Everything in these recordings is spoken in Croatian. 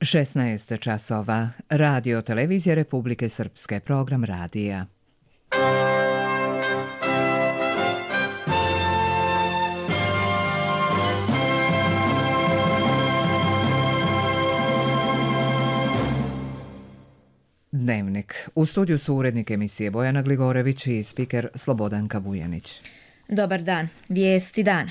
16 časova. Radio Televizija Republike Srpske. Program radija. Dnevnik. U studiju su urednik emisije Bojana Gligorević i spiker Slobodanka Vujanić. Dobar dan. Vijesti dana.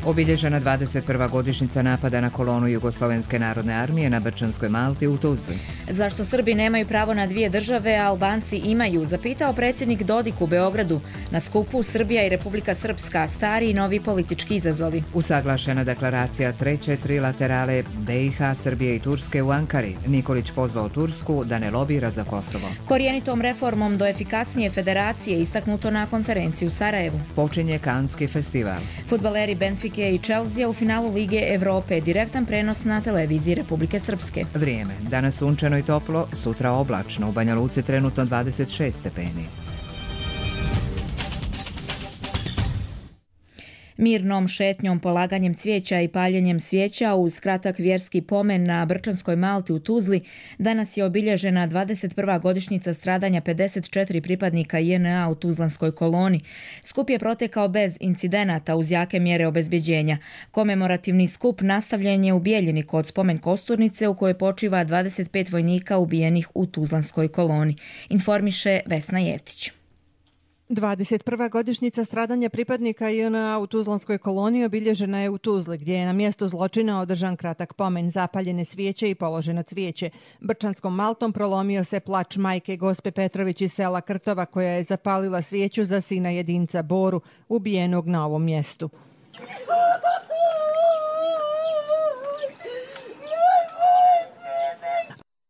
Obilježena 21. godišnjica napada na kolonu Jugoslovenske narodne armije na Brčanskoj Malti u Tuzli. Zašto Srbi nemaju pravo na dvije države, a Albanci imaju, zapitao predsjednik Dodik u Beogradu. Na skupu Srbija i Republika Srpska, stari i novi politički izazovi. Usaglašena deklaracija treće trilaterale BiH, Srbije i Turske u Ankari. Nikolić pozvao Tursku da ne lobira za Kosovo. Korjenitom reformom do efikasnije federacije istaknuto na konferenciji u Sarajevu. Počinje Kanski festival. Fudbaleri Benfike i Chelsea u finalu Lige Evrope, direktan prenos na televiziji Republike Srpske. Vrijeme. Danas sunčano i toplo, sutra oblačno. U Banja Luci trenutno 26 stepeni. Mirnom šetnjom, polaganjem cvijeća i paljenjem svijeća uz kratak vjerski pomen na Brčanskoj Malti u Tuzli danas je obilježena 21. godišnjica stradanja 54 pripadnika JNA u Tuzlanskoj koloni. Skup je protekao bez incidenata uz jake mjere obezbjeđenja. Komemorativni skup nastavljen je u Bijeljini kod spomen kosturnice u kojoj počiva 25 vojnika ubijenih u Tuzlanskoj koloni. Informiše Vesna Jevtić. 21. godišnjica stradanja pripadnika JNA u Tuzlanskoj koloniji obilježena je u Tuzli, gdje je na mjestu zločina održan kratak pomen, zapaljene svijeće i položeno cvijeće. Brčanskom Maltom prolomio se plač majke Gospe Petrović iz sela Krtova, koja je zapalila svijeću za sina jedinca Boru, ubijenog na ovom mjestu.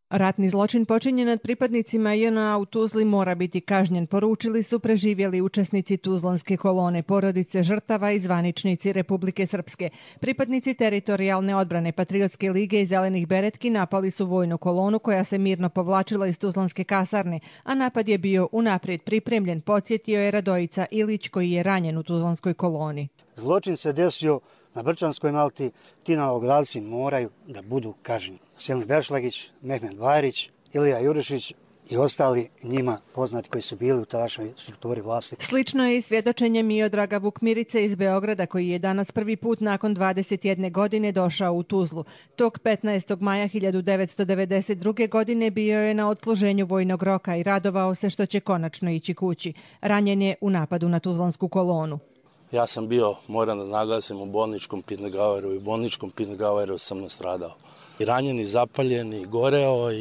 Ratni zločin počinjen nad pripadnicima JNA u Tuzli mora biti kažnjen, poručili su preživjeli učesnici Tuzlanske kolone, porodice žrtava i zvaničnici Republike Srpske. Pripadnici teritorijalne odbrane Patriotske lige i Zelenih beretki napali su vojnu kolonu koja se mirno povlačila iz Tuzlanske kasarne, a napad je bio unaprijed pripremljen, podsjetio je Radojica Ilić koji je ranjen u Tuzlanskoj koloni. Zločin se desio na Brčanskoj Malti, ti nalogodavci moraju da budu kažnjeni. Selim Bešlagić, Mehmed Vajrić, Ilija Jurišić i ostali njima poznati koji su bili u tadašnjoj strukturi vlasti. Slično je i svjedočenje Miodraga Vukmirice iz Beograda, koji je danas prvi put nakon 21 godine došao u Tuzlu. Tog 15. maja 1992. godine bio je na odsluženju vojnog roka i radovao se što će konačno ići kući. Ranjen je u napadu na Tuzlansku kolonu. Ja sam bio, moram da naglasim, u bolničkom Pitnegaueru i u bolničkom Pitnegaueru sam nastradao. I ranjen, i zapaljen, i goreo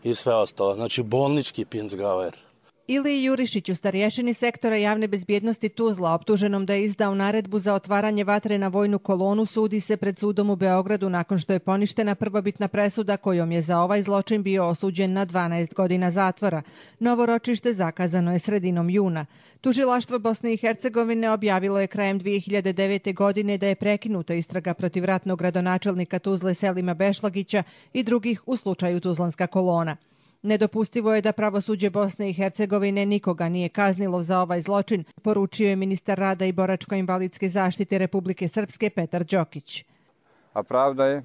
i sve ostalo. Znači bolnički Pitnegauer. Iliji Jurišiću, starješini sektora javne bezbjednosti Tuzla, optuženom da je izdao naredbu za otvaranje vatre na vojnu kolonu, sudi se pred sudom u Beogradu nakon što je poništena prvobitna presuda kojom je za ovaj zločin bio osuđen na 12 godina zatvora. Novo ročište zakazano je sredinom juna. Tužilaštvo Bosne i Hercegovine objavilo je krajem 2009. godine da je prekinuta istraga protiv ratnog gradonačelnika Tuzle Selima Bešlagića i drugih u slučaju Tuzlanska kolona. Nedopustivo je da pravosuđe Bosne i Hercegovine nikoga nije kaznilo za ovaj zločin, poručio je ministar rada i boračko-invalidske zaštite Republike Srpske Petar Đokić. A pravda je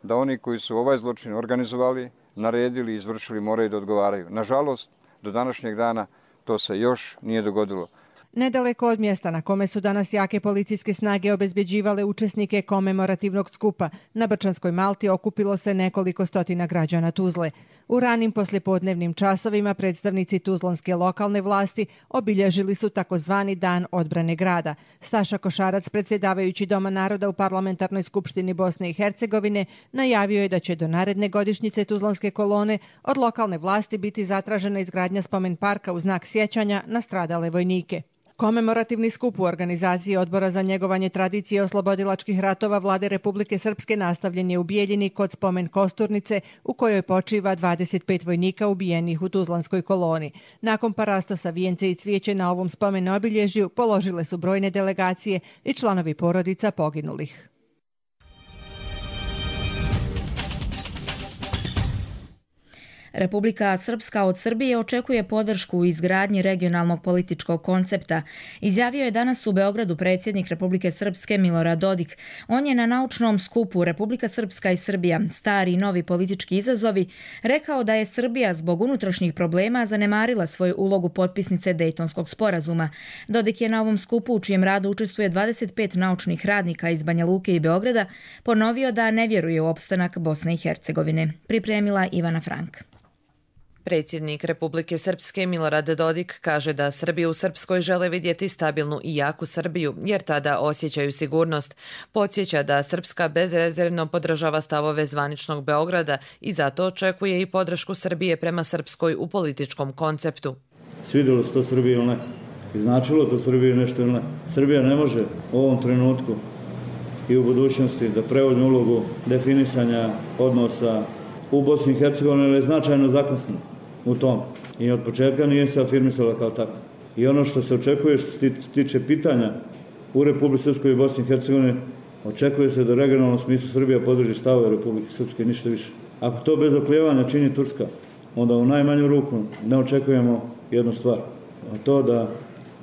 da oni koji su ovaj zločin organizovali, naredili i izvršili moraju da odgovaraju. Nažalost, do današnjeg dana to se još nije dogodilo. Nedaleko od mjesta na kome su danas jake policijske snage obezbjeđivale učesnike komemorativnog skupa, na Brčanskoj Malti okupilo se nekoliko stotina građana Tuzle. U ranim poslijepodnevnim časovima predstavnici tuzlanske lokalne vlasti obilježili su takozvani Dan odbrane grada. Staša Košarac, predsjedavajući Doma naroda u Parlamentarnoj skupštini Bosne i Hercegovine, najavio je da će do naredne godišnjice Tuzlanske kolone od lokalne vlasti biti zatražena izgradnja spomen parka u znak sjećanja na stradale vojnike. Komemorativni skup u organizaciji Odbora za njegovanje tradicije oslobodilačkih ratova Vlade Republike Srpske nastavljen je u Bijeljini kod spomen kosturnice u kojoj počiva 25 vojnika ubijenih u Tuzlanskoj koloni. Nakon parastosa vijence i cvijeće na ovom spomen obilježju položile su brojne delegacije i članovi porodica poginulih. Republika Srpska od Srbije očekuje podršku u izgradnji regionalnog političkog koncepta. Izjavio je danas u Beogradu predsjednik Republike Srpske Milorad Dodik. On je na naučnom skupu Republika Srpska i Srbija, stari i novi politički izazovi, rekao da je Srbija zbog unutrašnjih problema zanemarila svoju ulogu potpisnice Dejtonskog sporazuma. Dodik je na ovom skupu, u čijem radu učestvuje 25 naučnih radnika iz Banja Luke i Beograda, ponovio da ne vjeruje u opstanak Bosne i Hercegovine. Pripremila Ivana Frank. Predsjednik Republike Srpske Milorad Dodik kaže da Srbi u Srpskoj žele vidjeti stabilnu i jaku Srbiju, jer tada osjećaju sigurnost. Podsjeća da Srpska bezrezervno podržava stavove zvaničnog Beograda i zato očekuje i podršku Srbije prema Srpskoj u političkom konceptu. Svidjelo se to Srbiji ili ne? I značilo to Srbiji nešto ili ne? Srbija ne može u ovom trenutku i u budućnosti da preuzme ulogu definisanja odnosa u Bosni i Hercegovini, ali je značajno zakasnila u tom. I od početka nije se afirmisala kao tako. I ono što se očekuje, što se tiče pitanja u Republike Srpskoj i Bosni i Hercegovini, očekuje se da u regionalnom smislu Srbija podrži stavove Republike Srpske, ništa više. Ako to bez oklijevanja čini Turska, onda u najmanju ruku ne očekujemo jednu stvar. A to da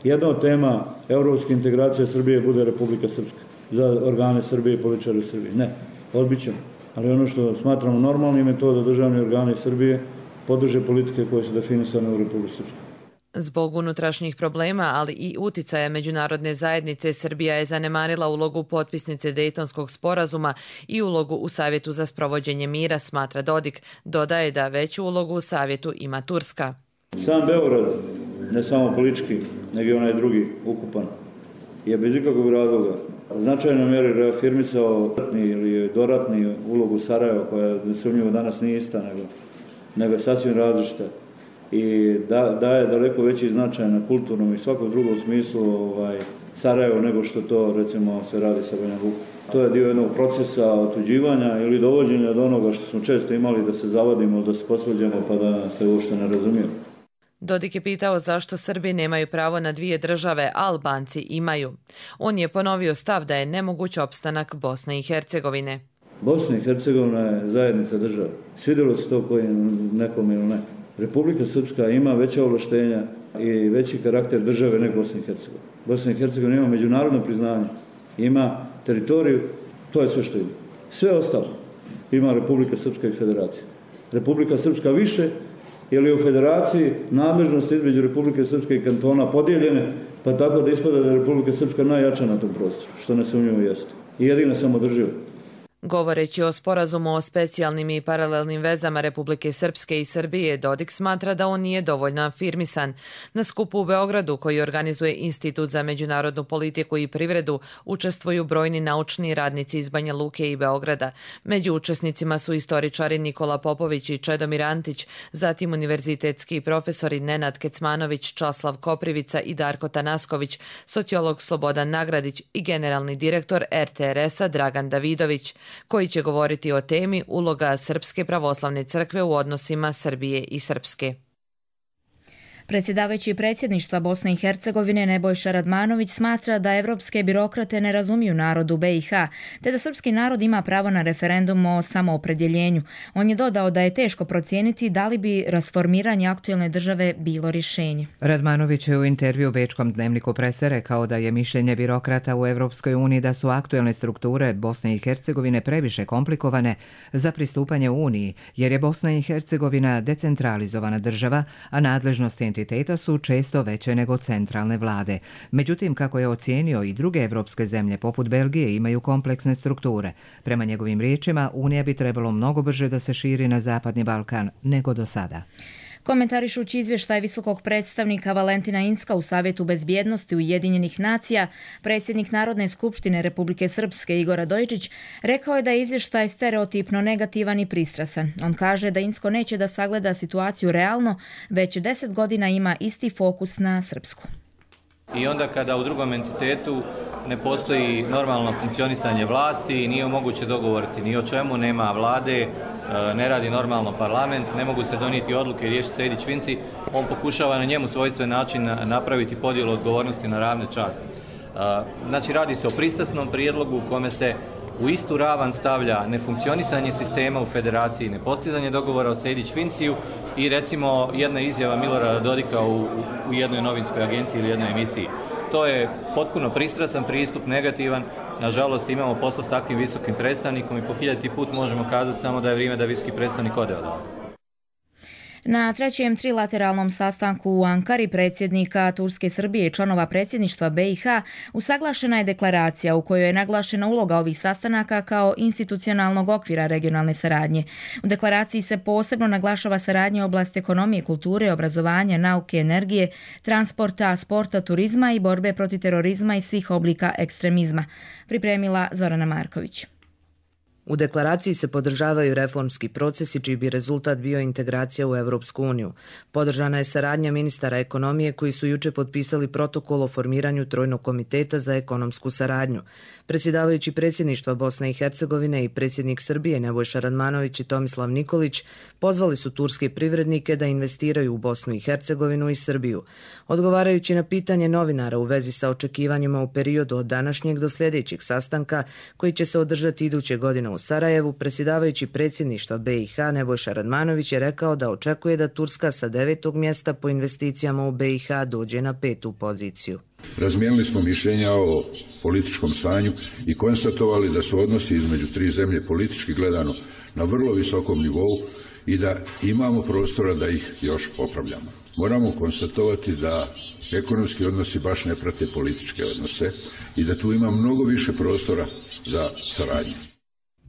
jedna od tema evropske integracije Srbije bude Republika Srpska za organe Srbije i političare u Srbiji. Ne, odbit ćemo. Ali ono što smatramo normalnim je to da državni organi Srbije podrže politike koje su definisane u Republici Srpskoj. Zbog unutrašnjih problema, ali i uticaja međunarodne zajednice, Srbija je zanemarila ulogu potpisnice Dejtonskog sporazuma i ulogu u Savjetu za sprovođenje mira, smatra Dodik. Dodaje da veću ulogu u Savjetu ima Turska. Sam Beograd, ne samo politički, nego i onaj drugi ukupan, je bez ikakvog razloga u značajnoj mjeri reafirmisao ratni ili doratni ulogu Sarajeva, koja nesumnjivo danas nije ista, nego je sasvim različita. I daje daleko veći značaj na kulturnom i svakom drugom smislu Sarajevo nego što to recimo se radi sa Banja Lukom. To je dio jednog procesa otuđivanja ili dovođenja do onoga što smo često imali, da se zavadimo, da se posvađamo pa da se uopšte ne razumijemo. Dodik je pitao zašto Srbi nemaju pravo na dvije države, a Albanci imaju. On je ponovio stav da je nemoguć opstanak Bosne i Hercegovine. Bosna i Hercegovina je zajednica država. Svidjelo se to koji nekom ili ne. Republika Srpska ima veća ovlaštenja i veći karakter države nego Bosna i Hercegovina. Bosna i Hercegovina ima međunarodno priznanje, ima teritoriju, to je sve što ima. Sve ostalo ima Republika Srpska i Federacija. Republika Srpska više, jer je u Federaciji nadležnost između Republike Srpske i kantona podijeljene, pa tako da ispada da je Republika Srpska najjača na tom prostoru, što nesumnjivo jeste. I jedina samodrživa. Govoreći o sporazumu o specijalnim i paralelnim vezama Republike Srpske i Srbije, Dodik smatra da on nije dovoljno afirmisan. Na skupu u Beogradu, koji organizuje Institut za međunarodnu politiku i privredu, učestvuju brojni naučni radnici iz Banja Luke i Beograda. Među učesnicima su istoričari Nikola Popović i Čedomir Antić, zatim univerzitetski profesori Nenad Kecmanović, Časlav Koprivica i Darko Tanasković, sociolog Slobodan Nagradić i generalni direktor RTRS-a Dragan Davidović, koji će govoriti o temi uloga Srpske pravoslavne crkve u odnosima Srbije i Srpske. Predsjedavajući predsjedništva Bosne i Hercegovine Nebojša Radmanović smatra da evropske birokrate ne razumiju narod u BiH, te da srpski narod ima pravo na referendum o samoopredjeljenju. On je dodao da je teško procijeniti da li bi rasformiranje aktuelne države bilo rješenje. Radmanović je u intervju Bečkom dnevniku Prese rekao da je mišljenje birokrata u Evropskoj uniji da su aktuelne strukture Bosne i Hercegovine previše komplikovane za pristupanje Uniji, jer je Bosna i Hercegovina decentralizovana država, a nadležnosti entiteta su često veće nego centralne vlade. Međutim, kako je ocijenio, i druge evropske zemlje poput Belgije imaju kompleksne strukture. Prema njegovim riječima, Unija bi trebalo mnogo brže da se širi na Zapadni Balkan nego do sada. Komentarišući izvještaj visokog predstavnika Valentina Incka u Savjetu bezbjednosti Ujedinjenih nacija, predsjednik Narodne skupštine Republike Srpske Igor Radojičić rekao je da je izvještaj stereotipno negativan i pristrasan. On kaže da Incko neće da sagleda situaciju realno, već 10 godina ima isti fokus na Srpsku. I onda kada u drugom entitetu ne postoji normalno funkcionisanje vlasti i nije moguće dogovoriti ni o čemu, nema vlade, ne radi normalno parlament, ne mogu se donijeti odluke i riješiti sejdić vinci, on pokušava na njemu svojstven način napraviti podjelu odgovornosti na ravne časti. Znači radi se o pristrasnom prijedlogu u kome se u istu ravan stavlja nefunkcionisanje sistema u federaciji, nepostizanje dogovora o Sejdić-Finciju i recimo jedna izjava Milorada Dodika u jednoj novinskoj agenciji ili jednoj emisiji. To je potpuno pristrasan pristup, negativan. Nažalost, imamo posla s takvim visokim predstavnikom i po 1000 put možemo kazati samo da je vrijeme da visoki predstavnik ode odavde. Na trećem trilateralnom sastanku u Ankari predsjednika Turske, Srbije i članova predsjedništva BiH usaglašena je deklaracija u kojoj je naglašena uloga ovih sastanaka kao institucionalnog okvira regionalne saradnje. U deklaraciji se posebno naglašava saradnja u oblasti ekonomije, kulture, obrazovanja, nauke, energije, transporta, sporta, turizma i borbe protiv terorizma i svih oblika ekstremizma. Pripremila Zorana Marković. U deklaraciji se podržavaju reformski procesi čiji bi rezultat bio integracija u Europsku uniju. Podržana je saradnja ministara ekonomije koji su juče potpisali protokol o formiranju Trojnog komiteta za ekonomsku saradnju. Predsjedavajući predsjedništva Bosne i Hercegovine i predsjednik Srbije Nebojša Radmanović i Tomislav Nikolić pozvali su turske privrednike da investiraju u Bosnu i Hercegovinu i Srbiju. Odgovarajući na pitanje novinara u vezi sa očekivanjima u periodu od današnjeg do sljedećeg sastanka koji će se održati iduće godine u Sarajevu, predsjedavajući predsjedništva BiH Nebojša Radmanović je rekao da očekuje da Turska sa 9. mjesta po investicijama u BiH dođe na 5. poziciju. Razmijenili smo mišljenja o političkom stanju i konstatovali da su odnosi između tri zemlje politički gledano na vrlo visokom nivou i da imamo prostora da ih još popravljamo. Moramo konstatovati da ekonomski odnosi baš ne prate političke odnose i da tu ima mnogo više prostora za saradnju.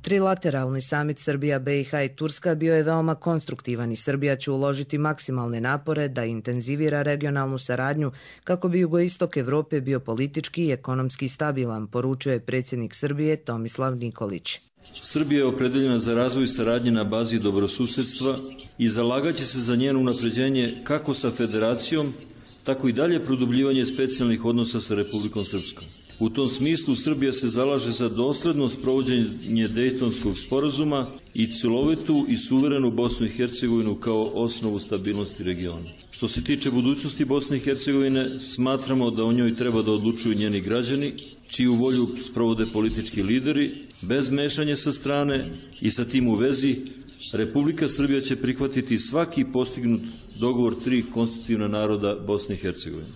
Trilateralni samit Srbija, BiH i Turska bio je veoma konstruktivan i Srbija će uložiti maksimalne napore da intenzivira regionalnu saradnju kako bi jugoistok Evrope bio politički i ekonomski stabilan, poručuje predsjednik Srbije Tomislav Nikolić. Srbija je opredeljena za razvoj saradnje na bazi dobrosusedstva i zalagaće se za njeno unapređenje kako sa Federacijom, tako i dalje produbljivanje specijalnih odnosa sa Republikom Srpskom. U tom smislu Srbija se zalaže za dosledno sprovođenje Dejtonskog sporazuma i celovitu i suverenu Bosnu i Hercegovinu kao osnovu stabilnosti regiona. Što se tiče budućnosti Bosne i Hercegovine, smatramo da o njoj treba da odlučuju njeni građani, čiju volju sprovode politički lideri, bez mešanja sa strane i sa tim u vezi Republika Srbija će prihvatiti svaki postignut dogovor tri konstitutivna naroda Bosne i Hercegovine.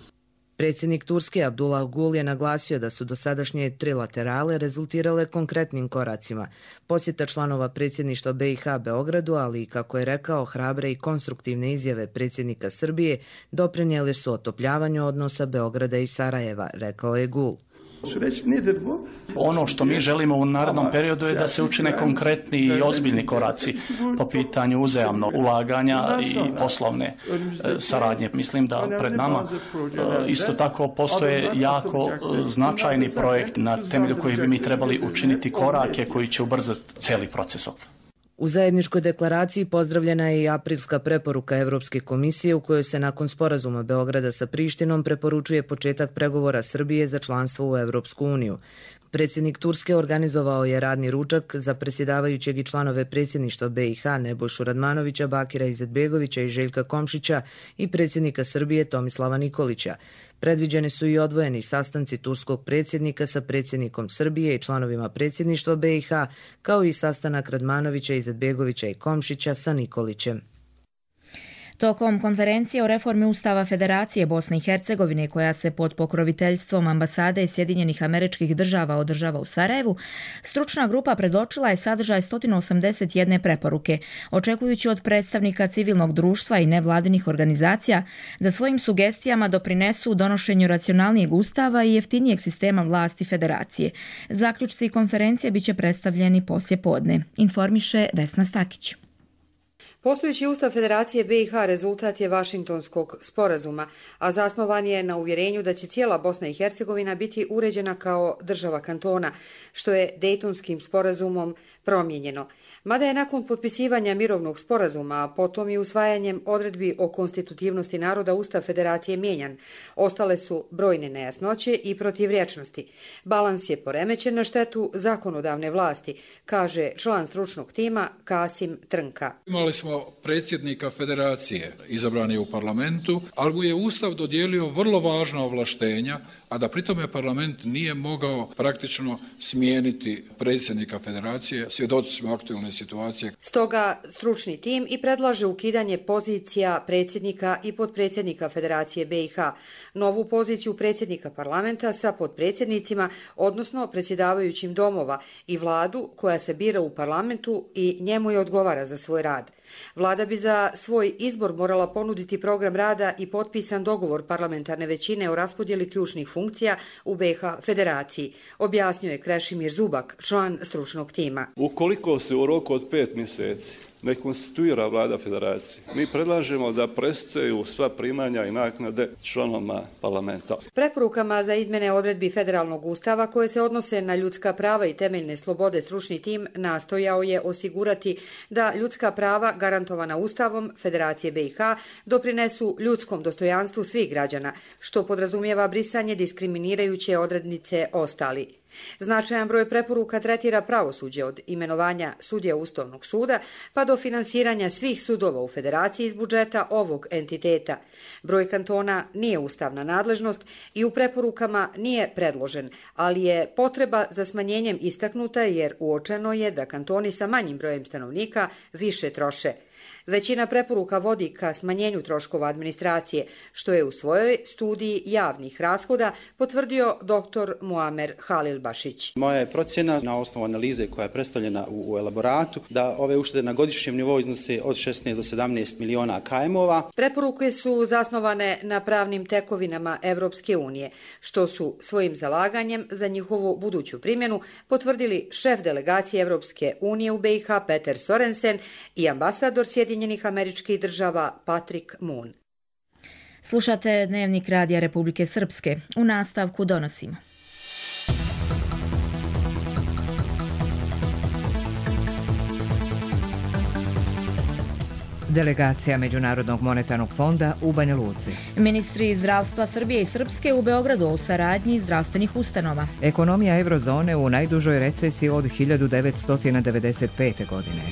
Predsjednik Turske Abdullah Gul je naglasio da su dosadašnje trilaterale rezultirale konkretnim koracima. Posjeta članova predsjedništva BiH Beogradu, ali i kako je rekao, hrabre i konstruktivne izjave predsjednika Srbije doprinijele su otopljavanju odnosa Beograda i Sarajeva, rekao je Gul. Ono što mi želimo u narednom periodu je da se učine konkretni i ozbiljni koraci po pitanju uzajamnog ulaganja i poslovne saradnje. Mislim da pred nama isto tako postoje jako značajni projekt na temelju kojih bi mi trebali učiniti korake koji će ubrzati cijeli proces. U zajedničkoj deklaraciji pozdravljena je i aprilska preporuka Evropske komisije u kojoj se nakon sporazuma Beograda sa Prištinom preporučuje početak pregovora Srbije za članstvo u Evropsku uniju. Predsjednik Turske organizovao je radni ručak za predsjedavajućeg i članove predsjedništva BiH Nebojšu Radmanovića, Bakira Izetbegovića i Željka Komšića i predsjednika Srbije Tomislava Nikolića. Predviđeni su i odvojeni sastanci turskog predsjednika sa predsjednikom Srbije i članovima predsjedništva BiH, kao i sastanak Radmanovića, Izetbegovića i Komšića sa Nikolićem. Tokom konferencije o reformi Ustava Federacije Bosne i Hercegovine, koja se pod pokroviteljstvom ambasade Sjedinjenih Američkih Država održava u Sarajevu, stručna grupa predočila je sadržaj 181 preporuke, očekujući od predstavnika civilnog društva i nevladinih organizacija da svojim sugestijama doprinesu donošenju racionalnijeg ustava i jeftinijeg sistema vlasti Federacije. Zaključci konferencije biće predstavljeni poslije podne, informiše Vesna Stakić. Postojeći ustav Federacije BiH rezultat je Vašingtonskog sporazuma, a zasnovan je na uvjerenju da će cijela Bosna i Hercegovina biti uređena kao država kantona, što je Dejtonskim sporazumom promijenjeno. Mada je nakon potpisivanja mirovnog sporazuma, a potom i usvajanjem odredbi o konstitutivnosti naroda Ustav Federacije mijenjan, ostale su brojne nejasnoće i protivrječnosti. Balans je poremećen na štetu zakonodavne vlasti, kaže član stručnog tima Kasim Trnka. Imali smo predsjednika Federacije, izabran je u parlamentu, ali mu je Ustav dodijelio vrlo važna ovlaštenja, a da pritome parlament nije mogao praktično smijeniti predsjednika Federacije. Svjedoci smo aktualne situacije. Stoga stručni tim i predlaže ukidanje pozicija predsjednika i potpredsjednika Federacije BiH, novu poziciju predsjednika parlamenta sa potpredsjednicima, odnosno predsjedavajućim domova, i vladu koja se bira u parlamentu i njemu je odgovara za svoj rad. Vlada bi za svoj izbor morala ponuditi program rada i potpisan dogovor parlamentarne većine o raspodjeli ključnih funkcija u BiH Federaciji, objasnio je Krešimir Zubak, član stručnog tima. Ukoliko se u roku od 5 mjeseci ne konstituira vlada Federacije, mi predlažemo da prestaju sva primanja i naknade članovima parlamenta. Preporukama za izmjene odredbi federalnog ustava koje se odnose na ljudska prava i temeljne slobode stručni tim nastojao je osigurati da ljudska prava garantovana Ustavom Federacije BiH doprinesu ljudskom dostojanstvu svih građana, što podrazumijeva brisanje diskriminirajuće odrednice ostali. Značajan broj preporuka tretira pravosuđe od imenovanja sudija Ustavnog suda pa do finansiranja svih sudova u Federaciji iz budžeta ovog entiteta. Broj kantona nije ustavna nadležnost i u preporukama nije predložen, ali je potreba za smanjenjem istaknuta jer uočeno je da kantoni sa manjim brojem stanovnika više troše. Većina preporuka vodi ka smanjenju troškova administracije, što je u svojoj studiji javnih rashoda potvrdio dr. Muamer Halilbašić. Moja je procjena na osnovu analize koja je predstavljena u elaboratu da ove uštede na godišnjem nivou iznose od 16 do 17 miliona KM-ova. Preporuke su zasnovane na pravnim tekovinama Evropske unije, što su svojim zalaganjem za njihovu buduću primjenu potvrdili šef delegacije Evropske unije u BiH Peter Sorensen i ambasador Sjedinjenih Američkih Država Patrick Moon. Slušate Dnevnik Radija Republike Srpske. U nastavku donosimo. Delegacija Međunarodnog monetarnog fonda u Banja Luci. Ministri zdravstva Srbije i Srpske u Beogradu u saradnji zdravstvenih ustanova. Ekonomija eurozone u najdužoj recesiji od 1995. godine.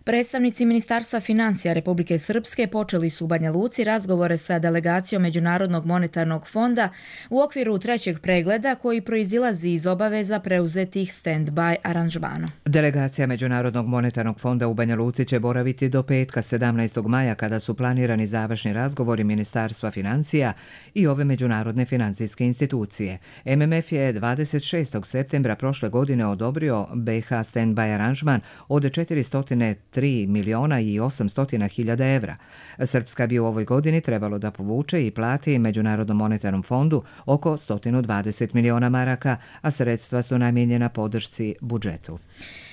Predstavnici Ministarstva financija Republike Srpske počeli su u Banja Luci razgovore sa delegacijom Međunarodnog monetarnog fonda u okviru trećeg pregleda koji proizilazi iz obaveza preuzetih stand-by aranžmana. Delegacija Međunarodnog monetarnog fonda u Banja Luci će boraviti do petka 17. maja kada su planirani završni razgovori Ministarstva financija i ove međunarodne financijske institucije. MMF je 26. septembra prošle godine odobrio BiH stand-by aranžman od 403 miliona i 800 hiljada evra. Srpska bi u ovoj godini trebalo da povuče i plati Međunarodnom monetarnom fondu oko 120 miliona maraka, a sredstva su namijenjena podršci budžetu.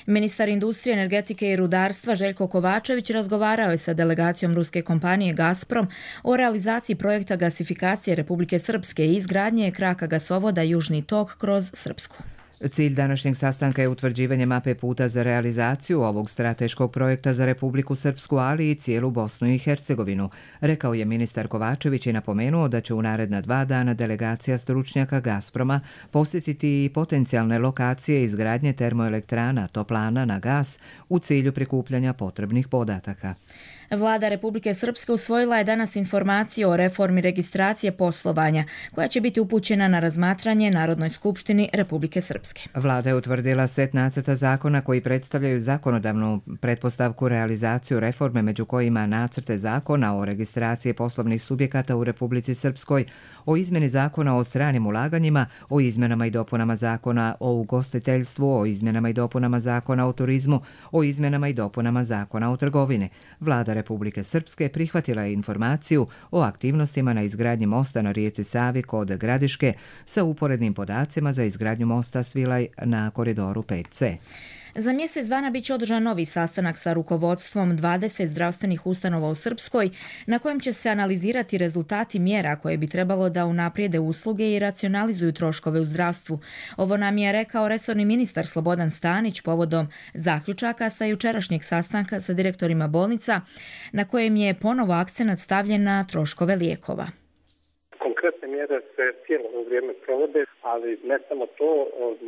Ministar industrije, energetike i rudarstva Željko Kovačević razgovarao je sa delegacijom ruske kompanije Gazprom o realizaciji projekta gasifikacije Republike Srpske i izgradnje kraka gasovoda Južni tok kroz Srpsku. Cilj današnjeg sastanka je utvrđivanje mape puta za realizaciju ovog strateškog projekta za Republiku Srpsku, ali i cijelu Bosnu i Hercegovinu, rekao je ministar Kovačević i napomenuo da će u naredna 2 dana delegacija stručnjaka Gazproma posjetiti i potencijalne lokacije izgradnje termoelektrana, toplana na gas u cilju prikupljanja potrebnih podataka. Vlada Republike Srpske usvojila je danas informaciju o reformi registracije poslovanja, koja će biti upućena na razmatranje Narodnoj skupštini Republike Srpske. Vlada je utvrdila set nacrta zakona koji predstavljaju zakonodavnu pretpostavku realizaciju reforme, među kojima nacrte zakona o registraciji poslovnih subjekata u Republici Srpskoj, o izmjeni zakona o stranim ulaganjima, o izmjenama i dopunama zakona o ugostiteljstvu, o izmjenama i dopunama zakona o turizmu, o izmjenama i dopunama zakona o trgovini. Vlada Republike Srpske prihvatila je informaciju o aktivnostima na izgradnji mosta na rijeci Savi kod Gradiške sa uporednim podacima za izgradnju mosta Svilaj na koridoru 5C. Za mjesec dana bit će održan novi sastanak sa rukovodstvom 20 zdravstvenih ustanova u Srpskoj, na kojem će se analizirati rezultati mjera koje bi trebalo da unaprijede usluge i racionalizuju troškove u zdravstvu. Ovo nam je rekao resorni ministar Slobodan Stanić povodom zaključaka sa jučerašnjeg sastanka sa direktorima bolnica, na kojem je ponovo akcenat stavljen na troškove lijekova. Konkretne mjere se cijelo vrijeme provode, ali ne samo to,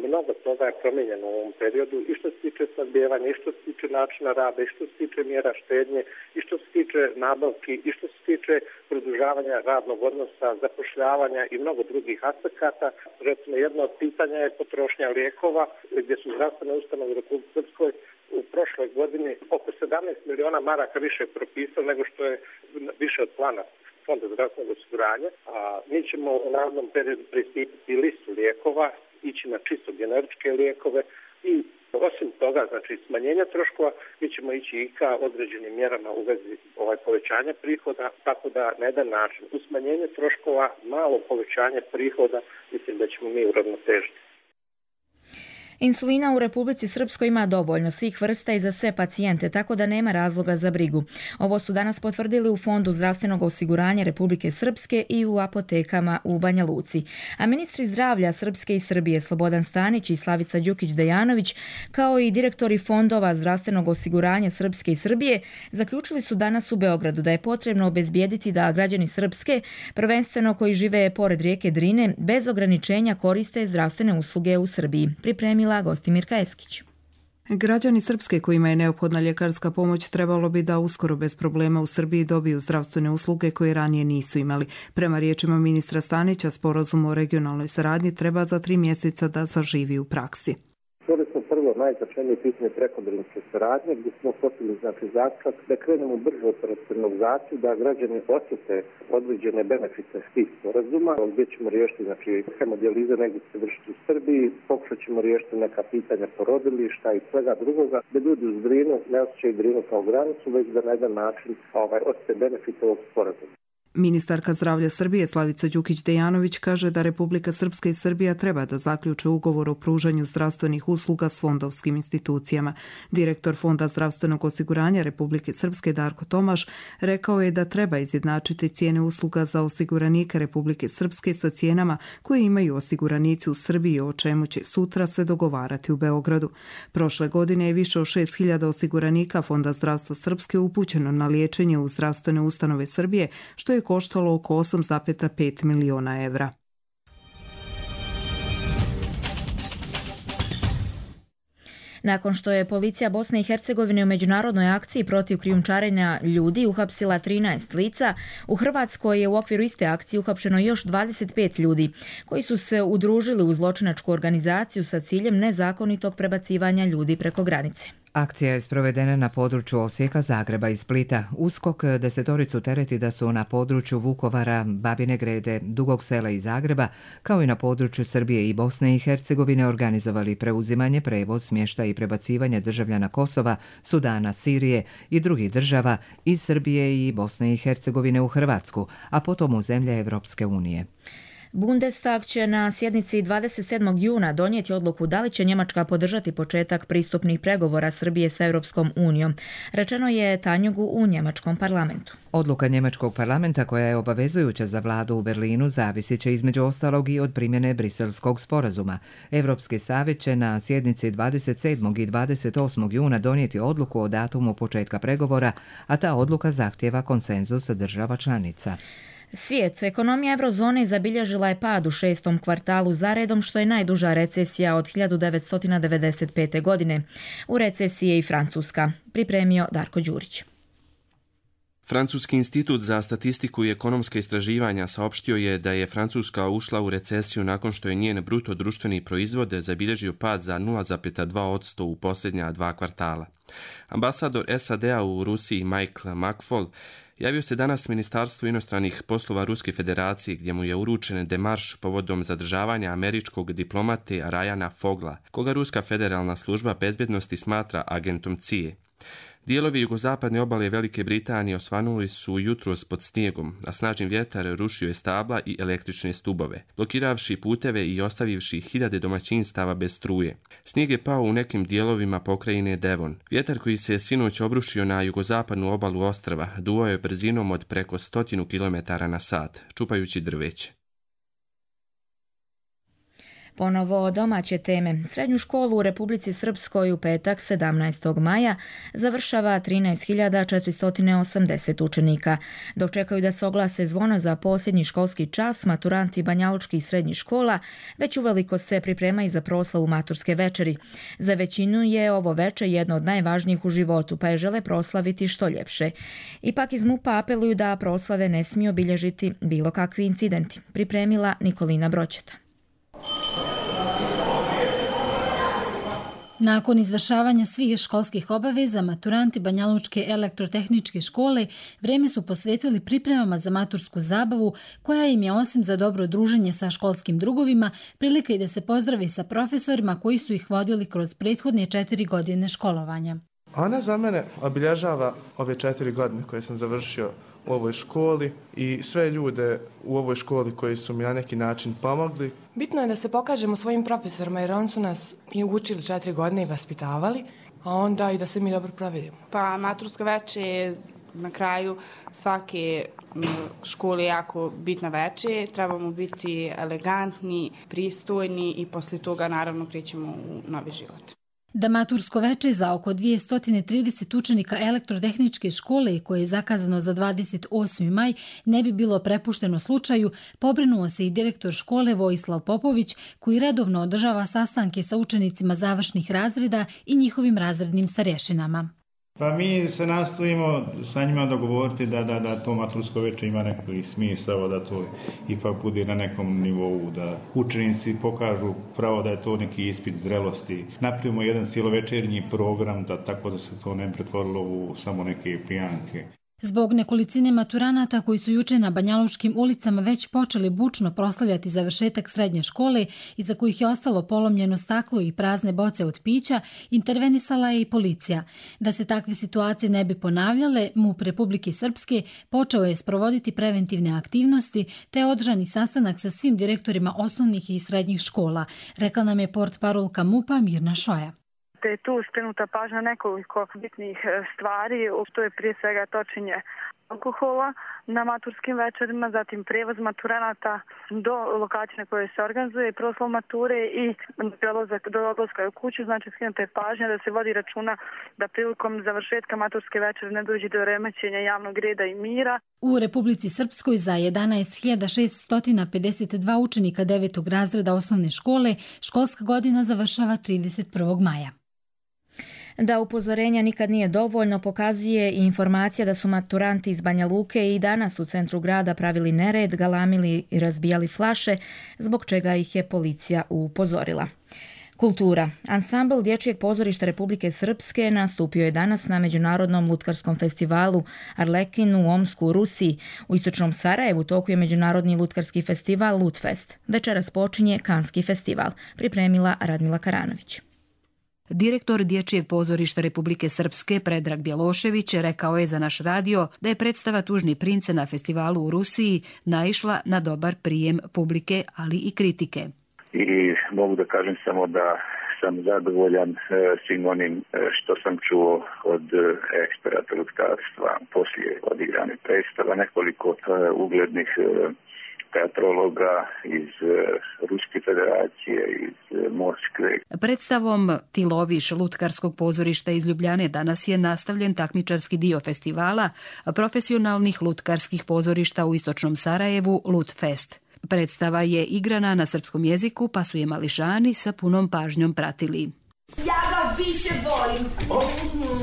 mnogo toga je promijenjeno u ovom periodu i što se tiče snabdijevanja, i što se tiče načina rada, i što se tiče mjera štednje, i što se tiče nabavki, i što se tiče produžavanja radnog odnosa, zapošljavanja i mnogo drugih aspekata. Recimo, jedno od pitanja je potrošnja lijekova, gdje su zdravstvene ustanove u Republici Srpskoj u prošloj godini oko 17 miliona maraka više propisao nego što je više od plana Fonda zdravstvenog osiguranja, a mi ćemo u narednom periodu pristupiti listu lijekova, ići na čisto generičke lijekove i osim toga, znači smanjenja troškova, mi ćemo ići i ka određenim mjerama u vezi povećanja prihoda, tako da na jedan način uz smanjenje troškova, malo povećanje prihoda, mislim da ćemo mi uravnotežiti. Insulina u Republici Srpskoj ima dovoljno svih vrsta i za sve pacijente, tako da nema razloga za brigu. Ovo su danas potvrdili u Fondu zdravstvenog osiguranja Republike Srpske i u apotekama u Banja Luci. A ministri zdravlja Srpske i Srbije Slobodan Stanić i Slavica Đukić-Dejanović, kao i direktori fondova zdravstvenog osiguranja Srpske i Srbije, zaključili su danas u Beogradu da je potrebno obezbijediti da građani Srpske, prvenstveno koji žive pored rijeke Drine, bez ograničenja koriste zdravstvene usluge u Srbiji. Pripremila Gostimirka Eskić. Građani Srpske kojima je neophodna ljekarska pomoć trebalo bi da uskoro bez problema u Srbiji dobiju zdravstvene usluge koje ranije nisu imali. Prema riječima ministra Stanića, sporazum o regionalnoj saradnji treba za 3 mjeseca da zaživi u praksi. Čuli smo prvo najznačajnije pitanje prekodrinske saradnje, gdje smo postigli zaključak da krenemo brže operacionalizaciju, da građani osjete određene benefite tih sporazuma, gdje ćemo riješiti hemodijalize negdje se vršiti u Srbiji, pokušat ćemo riješiti neka pitanja porodilišta i svega drugoga, da ljudi uz Drinu ne osjećaju Drinu kao granicu, već da na jedan način osjete benefite ovog sporazuma. Ministarka zdravlja Srbije Slavica Đukić-Dejanović kaže da Republika Srpska i Srbija treba da zaključe ugovor o pružanju zdravstvenih usluga s fondovskim institucijama. Direktor Fonda zdravstvenog osiguranja Republike Srpske Darko Tomaš rekao je da treba izjednačiti cijene usluga za osiguranike Republike Srpske sa cijenama koje imaju osiguranici u Srbiji, o čemu će sutra se dogovarati u Beogradu. Prošle godine je više od 6.000 osiguranika Fonda zdravstva Srpske upućeno na liječenje u zdravstvene ustanove Srbije, što je koštalo oko 8,5 miliona evra. Nakon što je policija Bosne i Hercegovine u međunarodnoj akciji protiv krijumčarenja ljudi uhapsila 13 lica, u Hrvatskoj je u okviru iste akcije uhapšeno još 25 ljudi koji su se udružili u zločinačku organizaciju sa ciljem nezakonitog prebacivanja ljudi preko granice. Akcija je sprovedena na području Osijeka, Zagreba i Splita. USKOK 10 tereti da su na području Vukovara, Babine Grede, Dugog Sela i Zagreba, kao i na području Srbije i Bosne i Hercegovine organizovali preuzimanje, prevoz, smještaj i prebacivanje državljana Kosova, Sudana, Sirije i drugih država iz Srbije i Bosne i Hercegovine u Hrvatsku, a potom u zemlje Evropske unije. Bundestag će na sjednici 27. juna donijeti odluku da li će Njemačka podržati početak pristupnih pregovora Srbije sa Europskom unijom. Rečeno je Tanjugu u njemačkom parlamentu. Odluka njemačkog parlamenta, koja je obavezujuća za vladu u Berlinu, zavisit će između ostalog i od primjene Briselskog sporazuma. Europski savjet će na sjednici 27. i 28. juna donijeti odluku o datumu početka pregovora, a ta odluka zahtijeva konsenzus država članica. Svijet, ekonomija eurozone zabilježila je pad u 6. kvartalu zaredom, što je najduža recesija od 1995. godine. U recesiji je i Francuska. Pripremio Darko Đurić. Francuski institut za statistiku i ekonomska istraživanja saopštio je da je Francuska ušla u recesiju nakon što je njen bruto društveni proizvod zabilježio pad za 0,2% u posljednja 2 kvartala. Ambasador SAD-a u Rusiji Michael McFaul javio se danas Ministarstvu inostranih poslova Ruske federacije, gdje mu je uručen demarš povodom zadržavanja američkog diplomate Ryana Fogla, koga Ruska federalna služba bezbjednosti smatra agentom CIA. Dijelovi jugozapadne obale Velike Britanije osvanuli su jutros pod snijegom, a snažni vjetar rušio je stabla i električne stubove, blokiravši puteve i ostavivši hiljade domaćinstava bez struje. Snijeg je pao u nekim dijelovima pokrajine Devon. Vjetar koji se sinoć obrušio na jugozapadnu obalu ostrva duo je brzinom od preko 100 km/h, čupajući drveće. Ponovo domaće teme. Srednju školu u Republici Srpskoj u petak 17. maja završava 13.480 učenika. Dok čekaju da se oglase zvona za posljednji školski čas, maturanti banjalučkih srednjih škola već uveliko se pripremaju za proslavu maturske večeri. Za većinu je ovo veče jedno od najvažnijih u životu, pa je žele proslaviti što ljepše. Ipak iz MUP-a apeluju da proslave ne smiju obilježiti bilo kakvi incidenti. Pripremila Nikolina Broćeta. Nakon izvršavanja svih školskih obaveza, maturanti Banjalučke elektrotehničke škole vrijeme su posvetili pripremama za matursku zabavu, koja im je osim za dobro druženje sa školskim drugovima, prilika i da se pozdravi sa profesorima koji su ih vodili kroz prethodne 4 godine školovanja. Ona za mene obilježava ove 4 godine koje sam završio u ovoj školi i sve ljude u ovoj školi koji su mi na neki način pomogli. Bitno je da se pokažemo svojim profesorima jer oni su nas i učili 4 godine i vaspitavali, a onda i da se mi dobro provedemo. Pa maturska večer na kraju svake škole je jako bitna večer, trebamo biti elegantni, pristojni i poslije toga naravno krećemo u novi život. Da matursko veče za oko 230 učenika elektrotehničke škole, koje je zakazano za 28. maj, ne bi bilo prepušteno slučaju, pobrinuo se i direktor škole Vojislav Popović, koji redovno održava sastanke sa učenicima završnih razreda i njihovim razrednim starješinama. Pa mi se nastojimo sa njima dogovoriti da to matursko veče ima neki smisao, da to ipak bude na nekom nivou, da učenici pokažu pravo da je to neki ispit zrelosti. Napravimo jedan cijelovečernji program, tako da se to ne pretvorilo u samo neke pijanke. Zbog nekolicine maturanata koji su juče na banjalučkim ulicama već počeli bučno proslavljati završetak srednje škole i za kojih je ostalo polomljeno staklo i prazne boce od pića, intervenisala je i policija. Da se takve situacije ne bi ponavljale, MUP Republike Srpske počeo je sprovoditi preventivne aktivnosti te održani sastanak sa svim direktorima osnovnih i srednjih škola, rekla nam je portparolka MUP-a Mirna Šoja. Te je tu skrenuta pažnja nekoliko bitnih stvari, to je prije svega točenje alkohola na maturskim večerima, zatim prevoz maturanata do lokacije na koje se organizuje proslav mature i do odlaska u kuću, znači skrenuta je pažnja da se vodi računa da prilikom završetka maturske večere ne dođe do remećenja javnog reda i mira. U Republici Srpskoj za 11.652 učenika 9. razreda osnovne škole školska godina završava 31. maja. Da upozorenja nikad nije dovoljno pokazuje i informacija da su maturanti iz Banja Luke i danas u centru grada pravili nered, galamili i razbijali flaše, zbog čega ih je policija upozorila. Kultura. Ansambl Dječjeg pozorišta Republike Srpske nastupio je danas na Međunarodnom lutkarskom festivalu Arlekin u Omsku u Rusiji. U istočnom Sarajevu toku je Međunarodni lutkarski festival Lutfest. Večeras počinje Kanski festival, pripremila Radmila Karanović. Direktor Dječjeg pozorišta Republike Srpske Predrag Bjelošević rekao je za naš radio da je predstava Tužni prince na festivalu u Rusiji naišla na dobar prijem publike, ali i kritike. I mogu da kažem samo da sam zadovoljan svim onim što sam čuo od eksperata lutkarstva poslije odigrane predstava, nekoliko uglednih teatrologa iz Ruske federacije, iz Moskve. Predstavom Ti loviš lutkarskog pozorišta iz Ljubljane danas je nastavljen takmičarski dio festivala profesionalnih lutkarskih pozorišta u istočnom Sarajevu Lutfest. Predstava je igrana na srpskom jeziku, pa su je mališani sa punom pažnjom pratili. Ja ga više volim.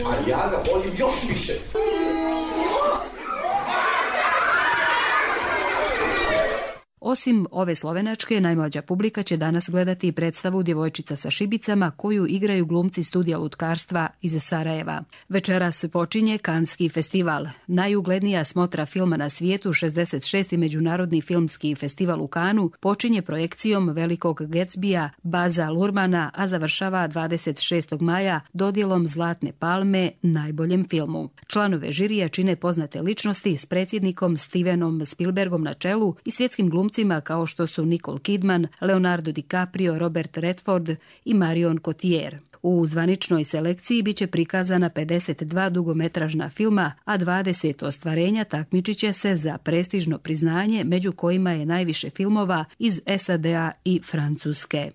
A ja ga volim još više. Osim ove slovenačke, najmlađa publika će danas gledati predstavu Djevojčica sa šibicama koju igraju glumci studija lutkarstva iz Sarajeva. Večeras počinje Kanski festival. Najuglednija smotra filma na svijetu, 66. Međunarodni filmski festival u Kanu, počinje projekcijom Velikog Gatsbya Baza Luhrmanna, a završava 26. maja dodjelom Zlatne palme najboljem filmu. Članove žirija čine poznate ličnosti s predsjednikom Stevenom Spielbergom na čelu i svjetskim glumcima kao što su Nicole Kidman, Leonardo DiCaprio, Robert Redford i Marion Cotillard. U zvaničnoj selekciji biće prikazana 52 dugometražna filma, a 20 ostvarenja takmičit će se za prestižno priznanje, među kojima je najviše filmova iz SAD-a i Francuske.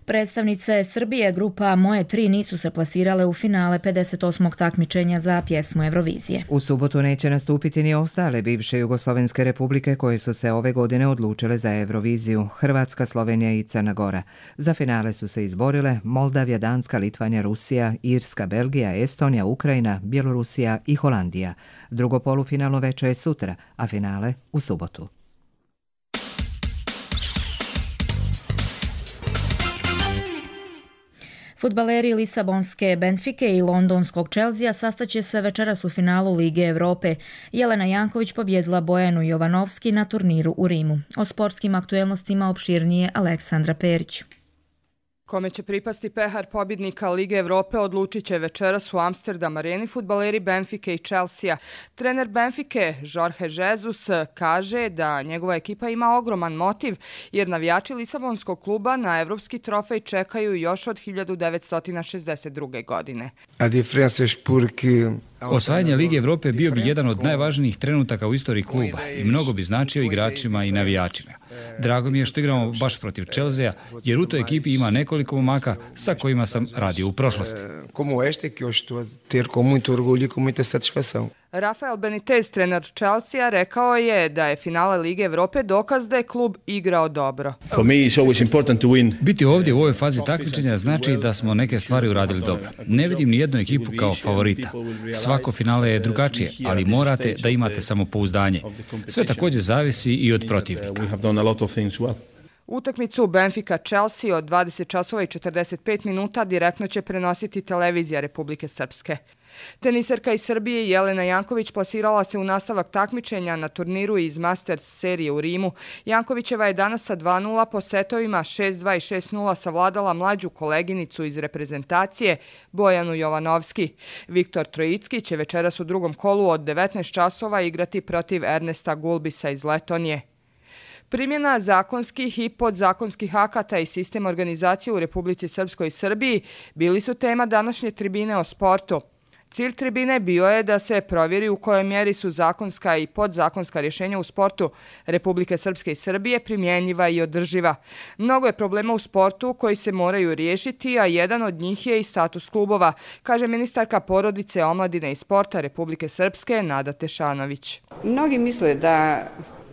Predstavnice Srbije grupa Moje 3 nisu se plasirale u finale 58. takmičenja za pjesmu Eurovizije. U subotu neće nastupiti ni ostale bivše jugoslovenske republike koje su se ove godine odlučile za Euroviziju, Hrvatska, Slovenija i Crna Gora. Za finale su se izborile Moldavija, Danska, Litvanja, Rusija, Irska, Belgija, Estonija, Ukrajina, Bjelorusija i Holandija. Drugo polufinalno veče je sutra, a finale u subotu. Fudbaleri Lisabonske Benfike i londonskog Chelsea sastaće se večeras u finalu Lige Europe. Jelena Janković pobjedila Bojanu Jovanovski na turniru u Rimu. O sportskim aktuelnostima opširnije Aleksandra Perić. Kome će pripasti pehar pobjednika Lige Evrope odlučit će večeras u Amsterdam Areni fudbaleri Benfike i Chelsea. Trener Benfike, Jorge Jesus, kaže da njegova ekipa ima ogroman motiv jer navijači Lisabonskog kluba na evropski trofej čekaju još od 1962. godine. Osvajanje Lige Evrope bio bi jedan od najvažnijih trenutaka u istoriji kluba i mnogo bi značio igračima i navijačima. Drago mi je što igramo baš protiv Chelsea, jer u toj ekipi ima nekoliko momaka sa kojima sam radio u prošlosti. Rafael Benitez, trener Chelsea, rekao je da je finale Lige Evrope dokaz da je klub igrao dobro. Biti ovdje u ovoj fazi takmičenja znači da smo neke stvari uradili dobro. Ne vidim ni jednu ekipu kao favorita. Svako finale je drugačije, ali morate da imate samopouzdanje. Sve također zavisi i od protivnika. Utakmicu Benfica-Chelsea od 20:45 minuta direktno će prenositi televizija Republike Srpske. Teniserka iz Srbije Jelena Janković plasirala se u nastavak takmičenja na turniru iz Masters serije u Rimu. Jankovićeva je danas sa 2:0 po setovima 6:2 i 6:0 savladala mlađu koleginicu iz reprezentacije Bojanu Jovanovski. Viktor Trojicki će večeras u drugom kolu od 19 časova igrati protiv Ernesta Gulbisa iz Letonije. Primjena zakonskih i podzakonskih akata i sistem organizacije u Republici Srpskoj i Srbiji bili su tema današnje tribine o sportu. Cilj tribine bio je da se provjeri u kojoj mjeri su zakonska i podzakonska rješenja u sportu Republike Srpske i Srbije primjenjiva i održiva. Mnogo je problema u sportu koji se moraju riješiti, a jedan od njih je i status klubova, kaže ministarka porodice, omladine i sporta Republike Srpske Nada Tešanović. Mnogi misle da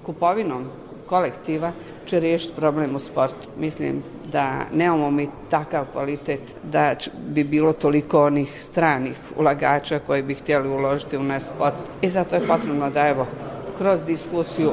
kupovinom kolektiva će riješiti problem u sportu. Mislim da nemamo mi takav kvalitet da bi bilo toliko onih stranih ulagača koji bi htjeli uložiti u naš sport. I zato je potrebno da kroz diskusiju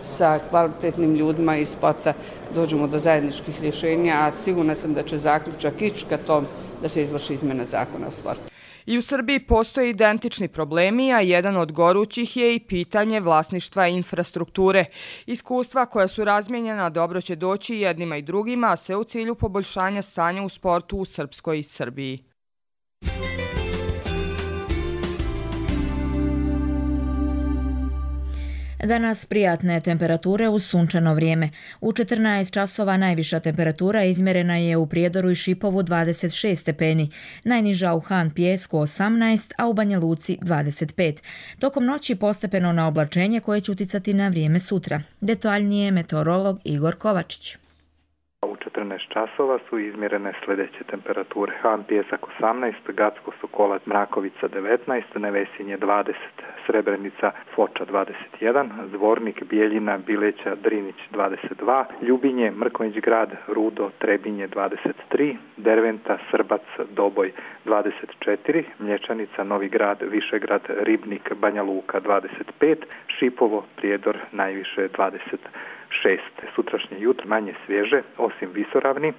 sa kvalitetnim ljudima iz sporta dođemo do zajedničkih rješenja, a sigurna sam da će zaključak ići ka tom da se izvrši izmjena zakona o sportu. I u Srbiji postoje identični problemi, a jedan od gorućih je i pitanje vlasništva i infrastrukture. Iskustva koja su razmijenjena dobro će doći jednima i drugima, a sve u cilju poboljšanja stanja u sportu u Srpskoj i Srbiji. Danas prijatne temperature uz sunčano vrijeme. U 14 časova najviša temperatura izmjerena je u Prijedoru i Šipovu 26 stepeni, najniža u Han Pijesku 18, a u Banja Luci 25. Tokom noći postepeno na oblačenje koje će uticati na vrijeme sutra. Detaljnije meteorolog Igor Kovačić. U 14 časova su izmjerene sljedeće temperature. Han Pijesak 18, Gacko Sokolac Mrakovica 19, Nevesinje 20, Srebrenica Foča 21, Zvornik Bijeljina Bileća Drinić 22, Ljubinje Mrkonjić Grad Rudo Trebinje 23, Derventa Srbac Doboj 24, Mlječanica Novi Grad Višegrad Ribnik Banja Luka 25, Šipovo Prijedor najviše Sutrašnje jutro manje svježe, osim visoravni,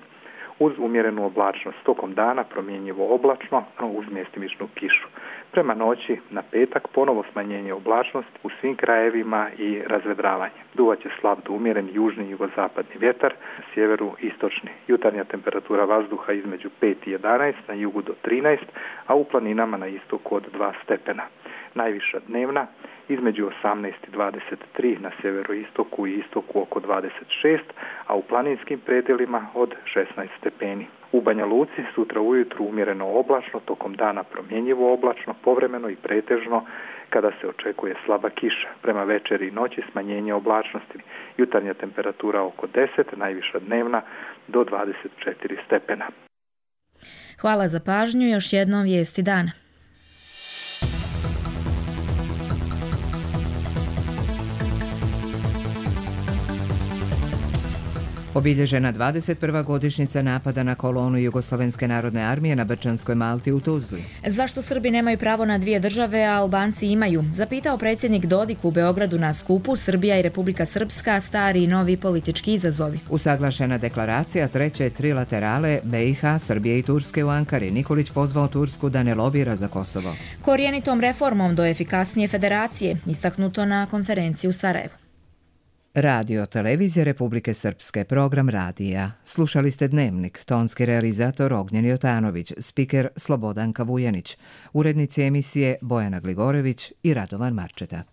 uz umjerenu oblačnost. Tokom dana promjenjivo oblačno, uz mjestimičnu kišu. Prema noći na petak ponovo smanjenje oblačnosti u svim krajevima i razvedravanje. Duvaće slab do umjeren južni i jugozapadni vjetar, na sjeveru istočni. Jutarnja temperatura vazduha između 5 i 11, na jugu do 13, a u planinama na istoku od 2 stepena. Najviša dnevna između 18 i 23, na sjeveroistoku i istoku oko 26, a u planinskim predjelima od 16 stepeni. U Banja Luci sutra ujutru umjereno oblačno, tokom dana promjenjivo oblačno, povremeno i pretežno kada se očekuje slaba kiša. Prema večeri i noći smanjenje oblačnosti. Jutarnja temperatura oko 10, najviša dnevna do 24 stepena. Hvala za pažnju, još jednom vijesti dana. Obilježena 21. godišnjica napada na kolonu Jugoslovenske narodne armije na Brčanskoj Malti u Tuzli. Zašto Srbi nemaju pravo na dvije države, a Albanci imaju? Zapitao predsjednik Dodik u Beogradu na skupu Srbija i Republika Srpska, stari i novi politički izazovi. Usaglašena deklaracija treće trilaterale BiH, Srbije i Turske u Ankari. Nikolić pozvao Tursku da ne lobira za Kosovo. Korjenitom reformom do efikasnije federacije, istaknuto na konferenciji u Sarajevu. Radio Televizije Republike Srpske, program radija. Slušali ste Dnevnik, tonski realizator Ognjen Jotanović, spiker Slobodanka Vujanić, urednici emisije Bojana Gligorević i Radovan Marčeta.